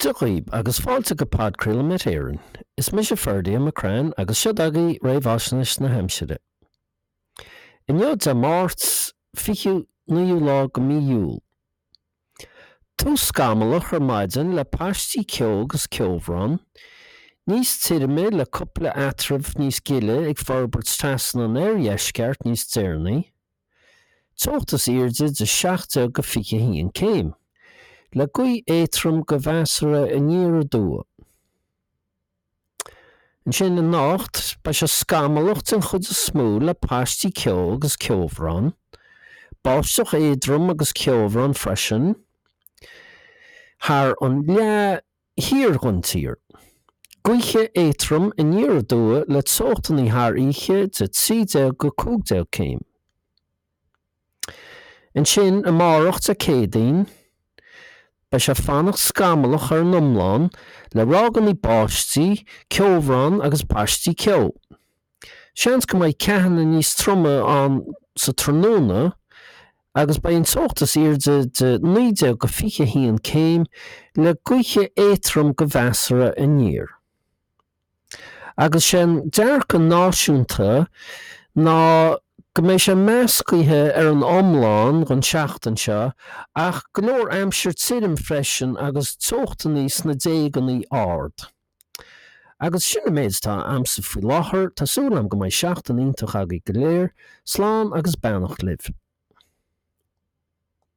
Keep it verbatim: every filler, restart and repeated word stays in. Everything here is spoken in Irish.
Dia dhaoib agus fáilte go podchraoladh Met Éireann. Is mise Ferdia McCrann agus seo agaibh réamhaisnéis na haimsire. Inniu Dé Máirt fichiú naoú lá de mhí Iúil. Tús scamallach ar maidin le paistí ceo agus ceobhrán, níos tirime le cúpla eatramh níos gile ag forbairt trasna an oirdheisceart níos deireanaí. Teocht is airde de seacht déag go fiche a haon céim, le gaoth éadrom go mheasartha aniar aduaidh. Ansin anocht, beidh sé scamallach den chuid is mó le paistí ceo agus ceobhrán, báisteach éadrom agus ceobhrán freisin thar an leath thiar den tír. Gaoithe éadrom aniar aduaidh le teochtanna thar oíche de trí déag go cúig déag céim. Ansin amárach Dé Céadaoin, beidh sé fanacht scamallach ar an iomlán le ráigeanna báistí, ceobhrán agus paistí ceo. Seans go mbeidh ceathanna níos troime ann sa tráthnóna agus beidh an teocht is airde de naoi déag go fiche a haon céim le gaoithe éadrom go mheasartha aniar. Agus sé an dearcadh náisiúnta ná go mbeidh sé meascaithe ar an iomlán don tseachtain seo ach go leor aimsir tirim freisin agus teochtanna sna déaganna ard. Agus sin an méid atá a'msa faoi láthair, tá súil agam go mbeidh seachtain iontach agaibh go léir, slán agus beannacht libh.